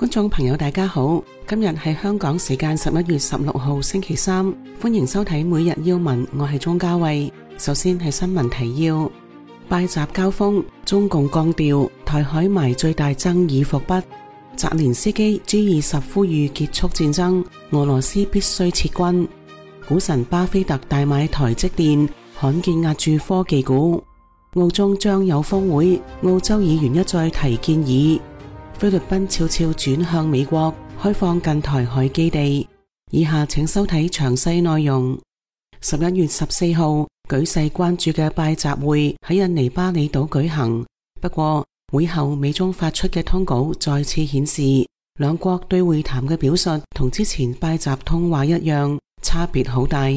觀眾朋友大家好，今日係香港時間11月16號星期三，歡迎收睇每日要聞，我係鍾嘉慧。首先係新聞提要：拜習交鋒，中共降調，台海埋最大爭議伏筆。澤連斯基 G20 呼籲結束戰爭，俄羅斯必須撤軍。股神巴菲特大買台積電，罕見押注科技股。澳中將有峰會，澳洲議員一再提建議。菲律賓悄悄轉向美國，開放近台海基地。以下請收睇詳細內容。11月14號，舉世關注嘅拜習會喺印尼巴厘島舉行。不過，會後美中發出嘅通稿再次顯示，兩國對會談嘅表述同之前拜習通話一樣，差別好大。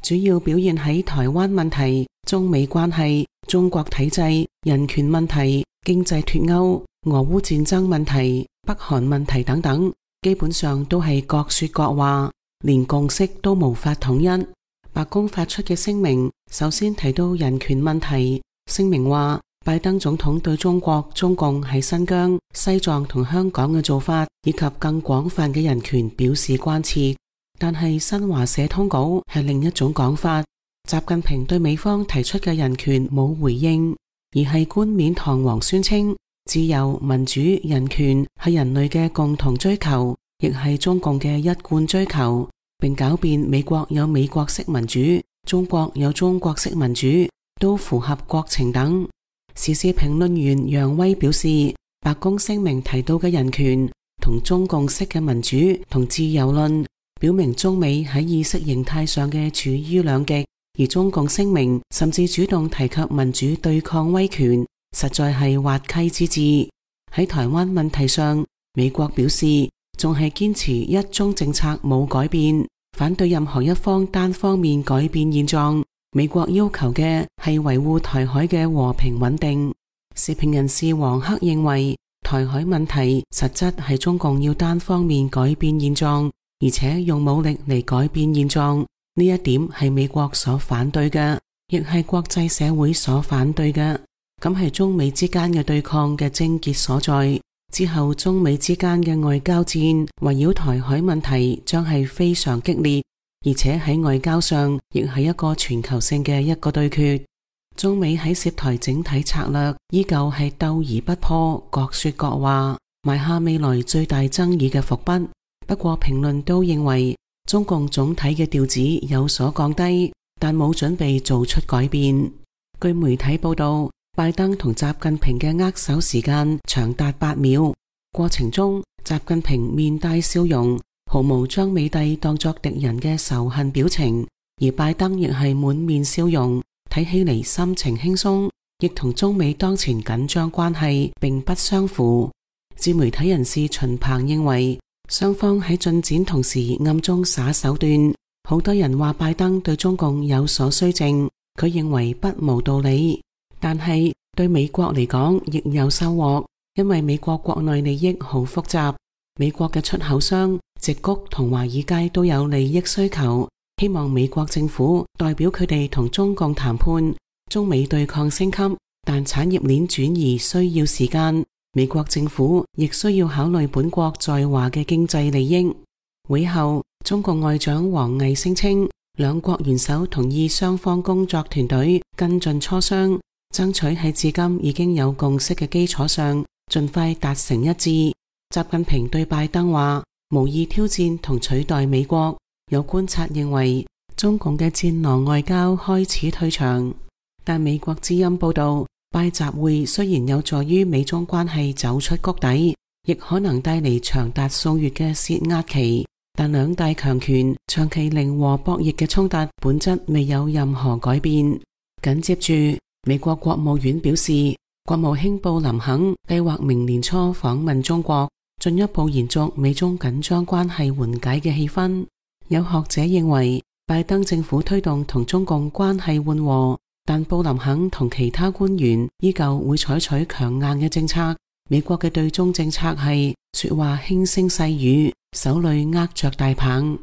主要表現喺台灣問題、中美關係、中國體制、人權問題、經濟脫歐、俄烏戰爭問題、北韓問題等等，基本上都係各說各話，連共識都無法統一。白宮發出嘅聲明首先提到人權問題，聲明話拜登總統對中國中共喺新疆、西藏同香港嘅做法以及更廣泛嘅人權表示關切。但係新華社通稿係另一種講法，習近平對美方提出嘅人權冇回應，而係冠冕堂皇宣稱自由、民主、人權係人類嘅共同追求，亦係中共嘅一貫追求，並狡辯美國有美國式民主，中國有中國式民主，都符合國情等。時事評論員楊威表示，白宮聲明提到嘅人權同中共式嘅民主同自由論，表明中美喺意識形態上嘅處於兩極，而中共聲明甚至主動提及民主對抗威權，實在係滑稽之至。喺台灣問題上，美國表示仲係堅持一中政策冇改變，反對任何一方單方面改變現狀。美國要求嘅係維護台海嘅和平穩定。時評人士黃克認為，台海問題實質係中共要單方面改變現狀，而且用武力嚟改變現狀，呢一點係美國所反對嘅，亦係國際社會所反對嘅。咁係中美之間嘅對抗嘅症結所在。之後中美之間嘅外交戰圍繞台海問題將係非常激烈，而且喺外交上亦係一個全球性嘅一個對決。中美喺涉台整體策略依舊係鬥而不破，各說各話，埋下未來最大爭議嘅伏筆。不過評論都認為，中共總體嘅調子有所降低，但冇準備做出改變。據媒體報道，拜登同習近平嘅握手時間長達8秒，過程中習近平面帶笑容，毫無將美帝當作敵人嘅仇恨表情，而拜登亦係滿面笑容，睇起嚟心情輕鬆，亦同中美當前緊張關係並不相符。自媒體人士秦鵬認為，雙方喺進展同時暗中耍手段，好多人話拜登對中共有所綏靖，佢認為不無道理。但係對美國嚟講亦有收穫，因為美國國內利益好複雜，美國嘅出口商矽谷同華爾街都有利益需求，希望美國政府代表佢哋同中共談判。中美對抗升級，但產業鏈轉移需要時間，美國政府亦需要考慮本國在華嘅經濟利益。會後，中共外長王毅聲稱，兩國元首同意雙方工作團隊跟進磋商，爭取喺至今已經有共識嘅基礎上，盡快達成一致。習近平對拜登話，無意挑戰同取代美國。有觀察認為，中共嘅戰狼外交開始退場。但美國之音報道，拜習會雖然有助於美中關係走出谷底，亦可能帶嚟長達數月嘅洩壓期，但兩大強權長期零和博弈嘅衝突本質未有任何改變。緊接住，美國國務院表示，國務卿布林肯計劃明年初訪問中國，進一步延續美中緊張關係緩解嘅氣氛。有學者認為，拜登政府推動同中共關係緩和，但布林肯同其他官員依舊會採取強硬嘅政策。美國嘅對中政策係說話輕聲細語，手裏握着大棒。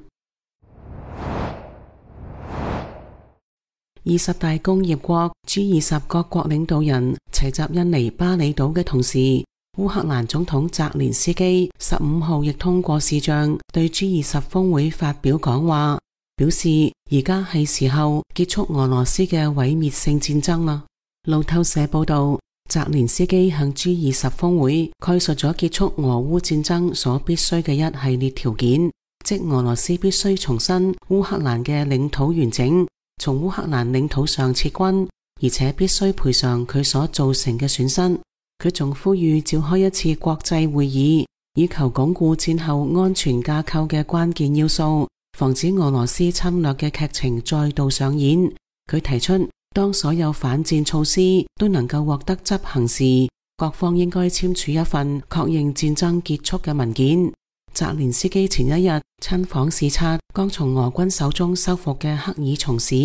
20大工業國 G20 各國領導人齊集印尼巴厘島嘅同時，烏克蘭總統澤連斯基15號亦通過視像對 G20 峰會發表講話，表示而家係時候結束俄羅斯嘅毀滅性戰爭啦。路透社報道，澤連斯基向 G20 峰會概述咗結束俄烏戰爭所必須嘅一系列條件，即俄羅斯必須重申烏克蘭嘅領土完整，從烏克蘭領土上撤軍，而且必須賠償佢所造成嘅損失。佢仲呼籲召開一次國際會議，以求鞏固戰後安全架構嘅關鍵要素，防止俄羅斯侵略嘅劇情再度上演。佢提出，當所有反戰措施都能夠獲得執行時，各方應該簽署一份確認戰爭結束嘅文件。澤連斯基前一日親訪視察剛從俄軍手中收復嘅克爾松市，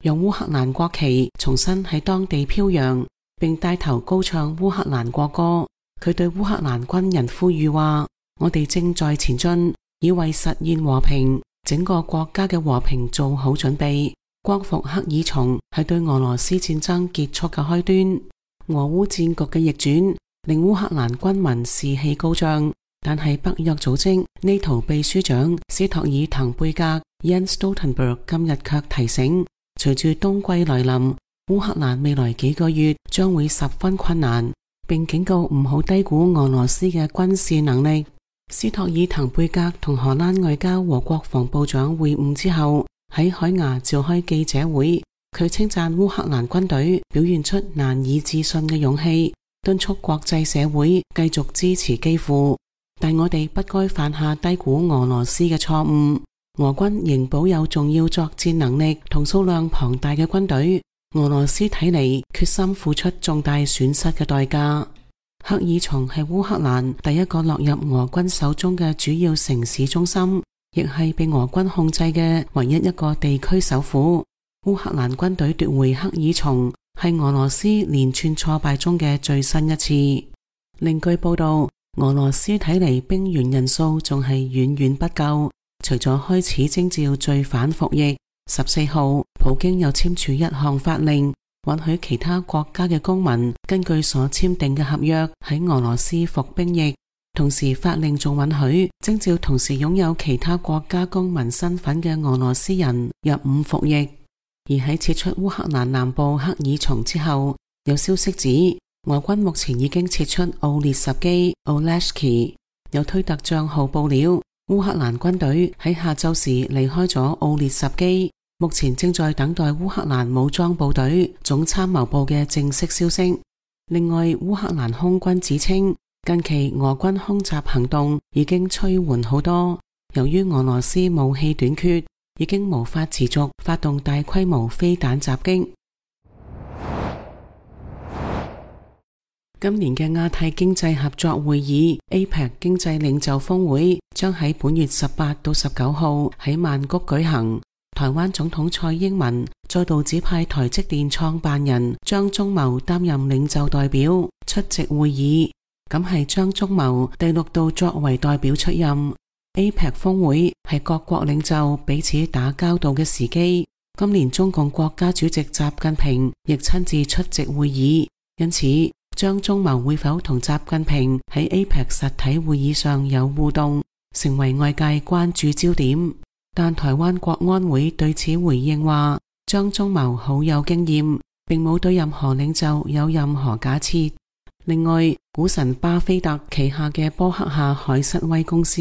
用烏克蘭國旗重新喺當地飄揚，並帶頭高唱烏克蘭國歌。佢對烏克蘭軍人呼籲話：我哋正在前進，以為實現和平，整個國家嘅和平做好準備。光復克爾松係對俄羅斯戰爭結束嘅開端。俄烏戰局嘅逆轉令烏克蘭軍民士氣高漲，但係北約組織NATO秘書長斯托爾滕貝格 Jens Stoltenberg 今日卻提醒，隨住冬季來臨，烏克蘭未來幾個月將會十分困難，並警告唔好低估俄羅斯嘅軍事能力。斯托爾滕貝格同荷蘭外交和國防部長會晤之後，喺海牙召開記者會，佢稱讚烏克蘭軍隊表現出難以置信嘅勇氣，敦促國際社會繼續支持基輔。但我哋不該犯下低估俄羅斯嘅錯誤。俄軍仍保有重要作戰能力同數量龐大嘅軍隊，俄羅斯睇嚟決心付出重大損失嘅代價。克爾松係烏克蘭第一個落入俄軍手中嘅主要城市中心，亦係被俄軍控制嘅唯一一個地區首府。烏克蘭軍隊奪回克爾松，係俄羅斯連串挫敗中嘅最新一次。另據報道，俄羅斯睇嚟兵員人數仲係遠遠不夠，除咗開始徵召罪犯服役，14號普京又簽署一項法令，允許其他國家嘅公民根據所簽訂嘅合約喺俄羅斯服兵役，同時法令仲允許徵召同時擁有其他國家公民身份嘅俄羅斯人入伍服役。而喺撤出烏克蘭南部克爾松之後，有消息指俄軍目前已經撤出奧列什基 Oleshki。 有推特賬號報料，烏克蘭軍隊喺下晝時離開咗奧列什基，目前正在等待烏克蘭武裝部隊總參謀部嘅正式消息。另外，烏克蘭空軍指稱，近期俄軍空襲行動已經趨緩好多，由於俄羅斯武器短缺，已經無法持續發動大規模飛彈襲擊。今年嘅亞太經濟合作會議 APEC 經濟領袖峰會將喺本月18到19號喺曼谷舉行。台灣總統蔡英文再度指派台積電創辦人張忠謀擔任領袖代表出席會議，咁係張忠謀第6度作為代表出任。APEC 峰會係各國領袖彼此打交道嘅時機，今年中共國家主席習近平亦親自出席會議，因此張忠謀會否同習近平喺 APEC 實體會議上有互動，成為外界關注焦點。但台灣國安會對此回應話，張忠謀好有經驗，並冇對任何領袖有任何假設。另外，股神巴菲特旗下嘅波克夏海瑟威公司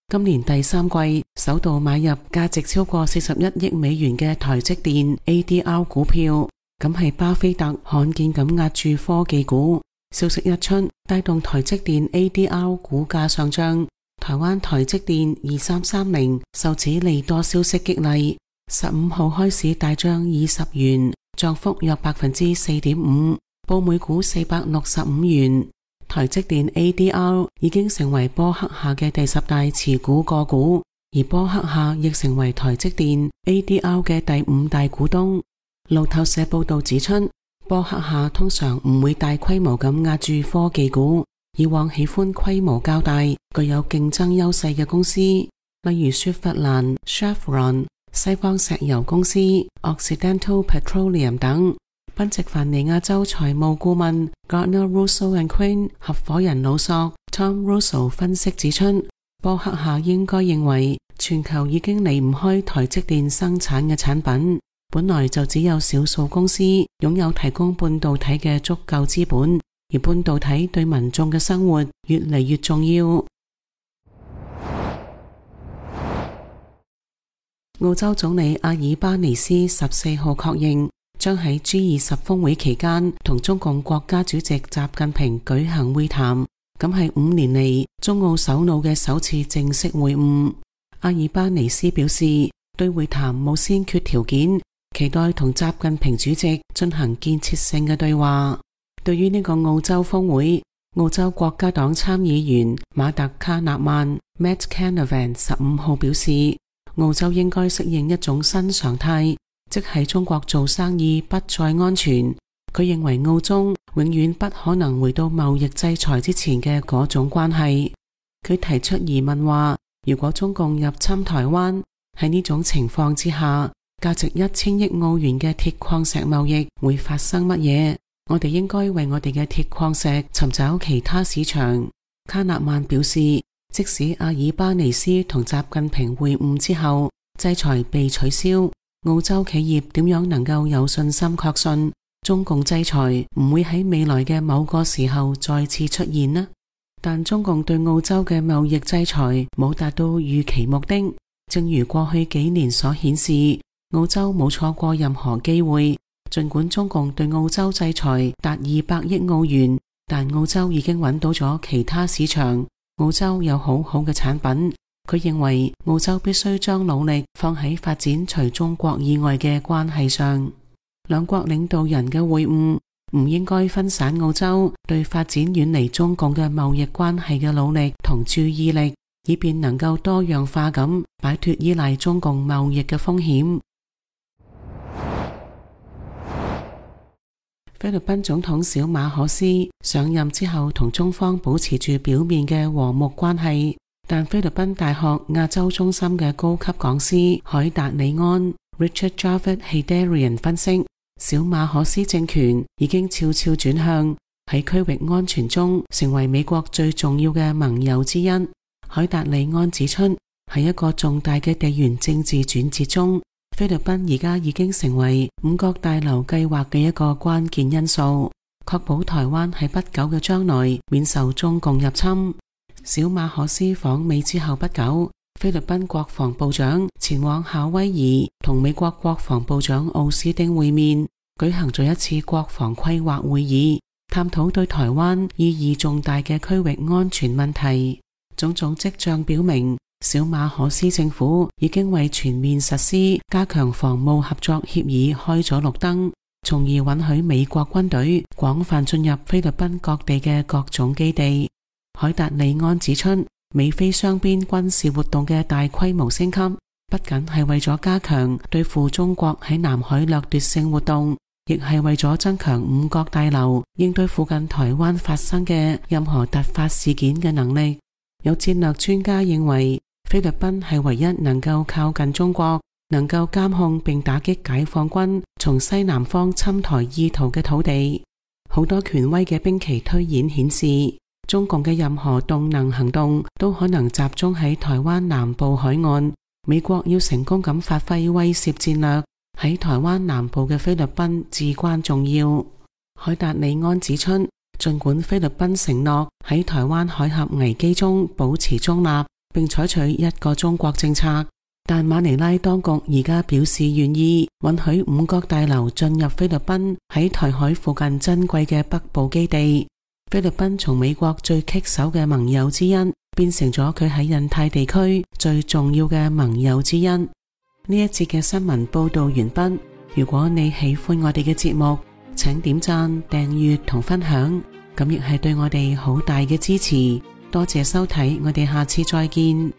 今年第3季首度買入價值超過41億美元嘅台積電 ADR 股票，咁係巴菲特罕見咁押注科技股。消息一出，帶動台積電 ADR 股價上漲。台灣台積電2330受此利多消息激勵，15號開市大漲20元，漲幅約 4.5%， 報每股465元。台積電 ADR 已經成為波克夏嘅第10大持股個股，而波克夏亦成為台積電 ADR 嘅第5大股東。路透社報道指出，波克夏通常唔會大規模咁押注科技股，以往喜歡規模較大、具有競爭優勢嘅公司，例如雪佛蘭 Chevron、西方石油公司 Occidental Petroleum 等。賓夕凡尼亞州財務顧問 Gardner Russell and Quinn 合夥人老索 Tom Russell 分析指出，波克夏應該認為全球已經離唔開台積電生產嘅產品，本來就只有少數公司擁有提供半導體嘅足夠資本，而半導體對民眾嘅生活越嚟越重要。澳洲總理阿爾巴尼斯14號確認，將喺 G20 峰會期間同中共國家主席習近平舉行會談，咁係5年嚟中澳首腦嘅首次正式會晤。阿爾巴尼斯表示，對會談冇先決條件，期待同習近平主席進行建設性嘅對話。對於呢個澳洲峰會，澳洲國家黨參議員馬特卡納曼 Matt Canavan 15號表示，澳洲應該適應一種新常態，即係中國做生意不再安全。佢認為澳中永遠不可能回到貿易制裁之前嘅嗰種關係。佢提出疑問話，如果中共入侵台灣，喺呢種情況之下，價值1000億澳元嘅鐵礦石貿易會發生乜嘢？我哋應該為我哋嘅鐵礦石尋找其他市場。卡納曼表示，即使阿爾巴尼斯同習近平會晤之後，制裁被取消，澳洲企業點樣能夠有信心確信中共制裁唔會喺未來嘅某個時候再次出現呢？但中共對澳洲嘅貿易制裁冇達到預期目的，正如過去幾年所顯示，澳洲冇錯過任何機會。盡管中共對澳洲制裁達200億澳元，但澳洲已經揾到咗其他市場。澳洲有好好嘅產品，佢認為澳洲必須將努力放喺發展除中國以外嘅關係上。兩國領導人嘅會晤唔應該分散澳洲對發展遠離中共嘅貿易關係嘅努力同注意力，以便能夠多樣化咁擺脫依賴中共貿易嘅風險。菲律賓總統小馬可斯上任之後同中方保持住表面嘅和睦關係，但菲律賓大學亞洲中心嘅高級講師海達里安 Richard Javid Heydarian 分析，小馬可斯政權已經悄悄轉向喺區域安全中成為美國最重要嘅盟友之一。海達里安指出，喺一個重大嘅地緣政治轉折中，菲律賓而家已經成為五角大樓計劃嘅一個關鍵因素，確保台灣喺不久嘅將來免受中共入侵。小馬可斯訪美之後不久，菲律賓國防部長前往夏威夷同美國國防部長奧斯汀會面，舉行咗一次國防規劃會議，探討對台灣意義重大嘅區域安全問題。種種跡象表明，小馬可斯政府已經為全面實施加強防務合作協議開咗綠燈，從而允許美國軍隊廣泛進入菲律賓各地嘅各種基地。海達里安指出，美菲雙邊軍事活動嘅大規模升級，不僅係為咗加強對付中國喺南海掠奪性活動，亦係為咗增強五角大樓應對附近台灣發生嘅任何突發事件嘅能力。有戰略專家認為，菲律賓係唯一能夠靠近中國，能夠監控並打擊解放軍從西南方侵台意圖嘅土地。好多權威嘅兵棋推演顯示，中共嘅任何動能行動都可能集中喺台灣南部海岸。美國要成功咁發揮威懾戰略，喺台灣南部嘅菲律賓至關重要。海達里安指出，儘管菲律賓承諾喺台灣海峽危機中保持中立，並採取一個中國政策，但馬尼拉當局而家表示願意允許五角大樓進入菲律賓喺台海附近珍貴嘅北部基地。菲律賓從美國最棘手嘅盟友之一，變成咗佢喺印太地區最重要嘅盟友之一。呢一節嘅新聞報道完畢。如果你喜歡我哋嘅節目，請點讚、訂閱同分享，咁亦係對我哋好大嘅支持。多謝收睇，我哋下次再見。